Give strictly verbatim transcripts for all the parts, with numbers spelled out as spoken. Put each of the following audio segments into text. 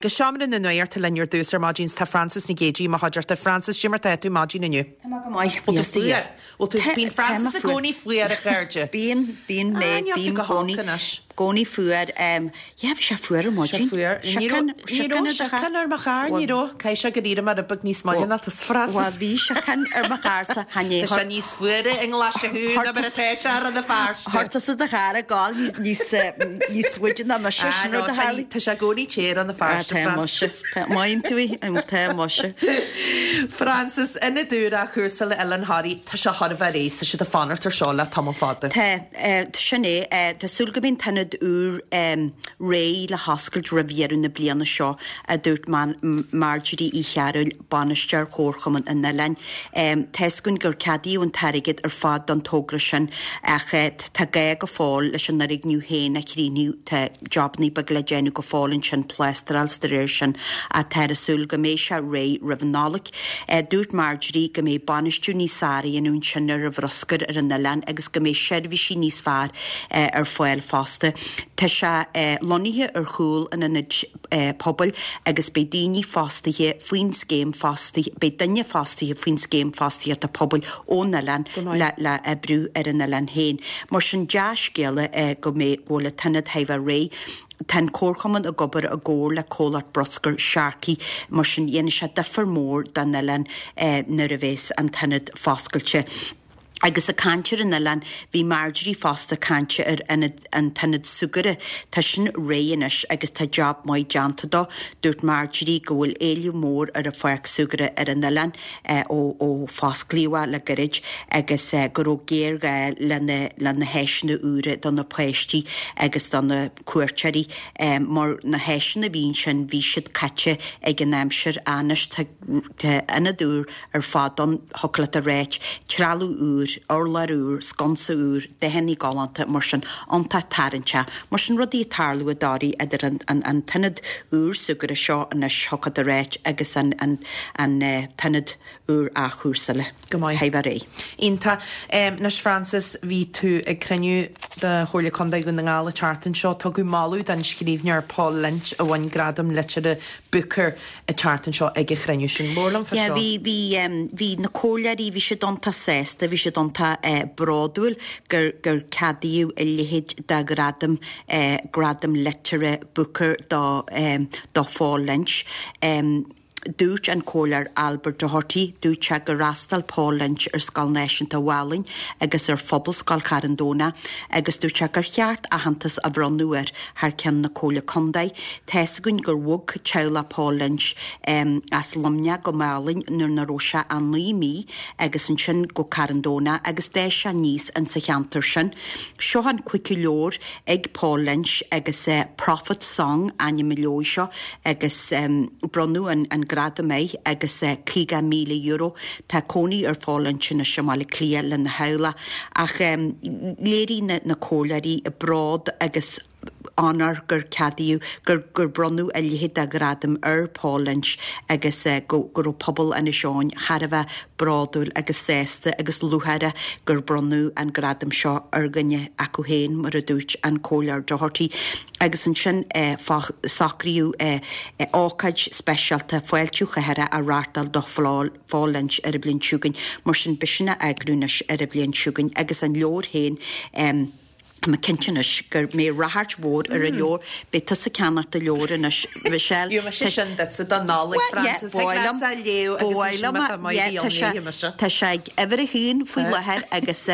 Go seomra na nuachta linn ar dtús ar maidin tá Frances Nic Géadaigh i mo chuideachta. Frances, cad é mar tá tú maidin inniu. Tá mé go maith. Bhfuil tú fuar? Bhfuil tú bíonn Frances i gcónaí fuar a chairde. Bíonn, bíonn mé, Ah, níl tú bím go holc gcónaí, anois. gcónaí fuar. Yeah, bhí sé fuar ar maidin. Sé fuar. Ní raibh ní raibh síocháin ar mo charr, ní raibh. Caithfidh sé gur éirigh mé rud beag níos moille ná tusa Bhuel, Frances. bhí síocháin ar mo charr-sa, chan é. Tá sé níos fuaire i nGlaise Thú ná mar atá sé ar na Feirste. Chuir tusa do charr ag gabháil níos, níos, níos faide ná mise, Ah, sin no, rud a tá tharlaigh. tá sé i gcónaí te ar na Ah, Feirste, tá muise. Frances. Tá, maíonn tú í, tá muise. Frances, Ionad úr athchúrsála Oileán Thoraí, tá sé thar a bheith réidh, tá siad ag fanacht ar seo le tamall fada. Tá, eh, tá sin é, eh, tá súil go mbeidh an t-ionad úr em, réidh le hoscailt roimh dheireadh na bliana seo, a dúirt Man- Marjorie Uí Chearúil, bainisteoir Chomharchumann an Oileáin. Em, Tá a fhios againn gur ceadaíodh an t-airgead ar fad don togra sin ach eh, tá gá go fóill leis an fhoirgneamh féin a chríochnú tá jobanna beaga le déanamh go fóill ansin plástráil de réir sin atá ar súil go mbeidh sé réidh roimh an Nollaig. Eh, dúirt Marjorie go mbeidh bainistiú níos fearr á dhéanamh ansin ar an bhruscar ar an oileán agus go mbeidh seirbhísí níos fearr eh, ar fáil fosta. Tá sé eh, lonnaithe ar chúl an ionaid eh, pobail agus beidh daoine fostaithe faoin scéim fostaithe, beidh duine fostaithe faoin scéim fostaíochta pobail ón oileán Go maith. le, le oibriú ar an oileán féin. Mar sin dea-scéala eh, go mbeidh go bhfuil an t-ionad thar a bheith réidh. Tá an Comharchumann ag obair i gcomhar le comhlacht bruscair Sharkey mar sin dhéanfaidh sé difear mór don oileán eh, nuair a bheas an t-ionad foscailte. Agus ag caint ar an oileán bhí Marjorie fosta ag caint ar ionad an t-ionad súgartha Tá sin réidh anois agus tá job maith déanta dó. Dúirt Marjorie go bhfuil éileamh mór ar an pháirc súgartha ar an oileán eh, ó ó fosclaíodh le gairid agus eh, go raibh géarghá lena lena háiseanna úra do na páistí agus do na cuairteoirí eh, mar na háiseanna a bhí ansin bhí siad caite ag an aimsir anois tá tá ionad úr ar fad ann thiocfadh leat a rá, trealamh úr, urlár úr, sconsa úr, dathanna galánta mar sin iontach tarraingteach, mar sin rudaí ag tarlú i dToraigh idir an, an, an t-ionad úr súgartha seo anois thiocfadh leat a rá agus an, an, an uh, t-ionad úr athchúrsála. Go maith. Thar a bheith réidh. Iontach. Um, Anois Frances bhí tú ag cruinniú de Chomhairle Contae Dhún na nGall an tseachtain seo tugadh moladh don scríbhneoir Paul Lynch a bhain gradam liteartha Booker an tseachtain seo ag an chruinniú sin. Labhair liom fá Yeah, seo. bhí bhí um, bhí na comhairleoirí bhí siad iontach sásta, bhí siad iontach eh, bródúil gur gur ceadaíodh a leithéid de ghradam eh, gradam liteartha Booker do um, do Paul Lynch. Um, Dúirt an comhairleoir Albert Doherty dúirt sé gur fhreastail Paul Lynch ar Scoil Náisiúnta Mhálainn agus ar Phobalscoil Charn Domhnach agus dúirt sé gur cheart aitheantas a bhronnadh air thar ceann na Comhairle Contae. Tá a fhios againn gur bhog teaghlach Paul Lynch um, as Luimneach go Málainn nuair a raibh sé an naoi mí agus ansin go Carn Domhnach agus d'fhás sé aníos in sa cheantar sin. Seo an cúigiú leabhar ag Paul Lynch agus uh, Prophet Song ainm an leabhair seo agus um, bronnadh an, an gradam air agus uh, caoga míle euro Tá cónaí ar Paul Lynch anois i mBaile Átha Cliath lena theaghlach ach um, léirigh na, na comhairleoirí bród agus onóir gur ceadaíodh gur gur bronnadh a leithéid de ghradam ar Paul Lynch agus uh, go go raibh pobal Inis Eoghain thar a bheith bródúil agus sásta agus lúcháireach gur bronnadh an gradam seo ar dhuine acu féin mar a dúirt an comhairleoir Doherty agus ansin eh, socraíodh eh, eh, ócáid speisialta fáiltiú chathair a reáchtáil do Paul Lynch ar an bhliain seo chugainn mar sin beidh sin á eagrú anois ar an bhliain seo chugainn agus an leabhar féin um, Tá cinnte anois go mbeidh ráchairt mhór ar an leabhar, beidh tusa ag ceannacht an leabhair anois Michelle. Ju sé sin dat se don nála Frances Tá sé ag uimhir a haon faoi láthair agus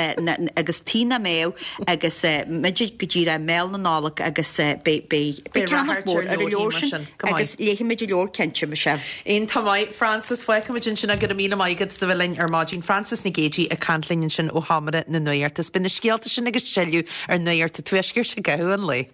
agus tína mé agus muid go dtí mí na Nollag agus beidh ceannach mór ar an leabhar sin agus léifimid an leabhar cinnte Michelle. Iontach maith Frances fágfaimid sin go raibh míle maith agat as a bheith linn ar maidin Frances Nic Géadaigh ag caint linn ansin ó sheomra na nuachta. Bíonn na scéalta sin agus tuilleadh ar Nuacht an Tuaiscirt i gcaitheamh an lae.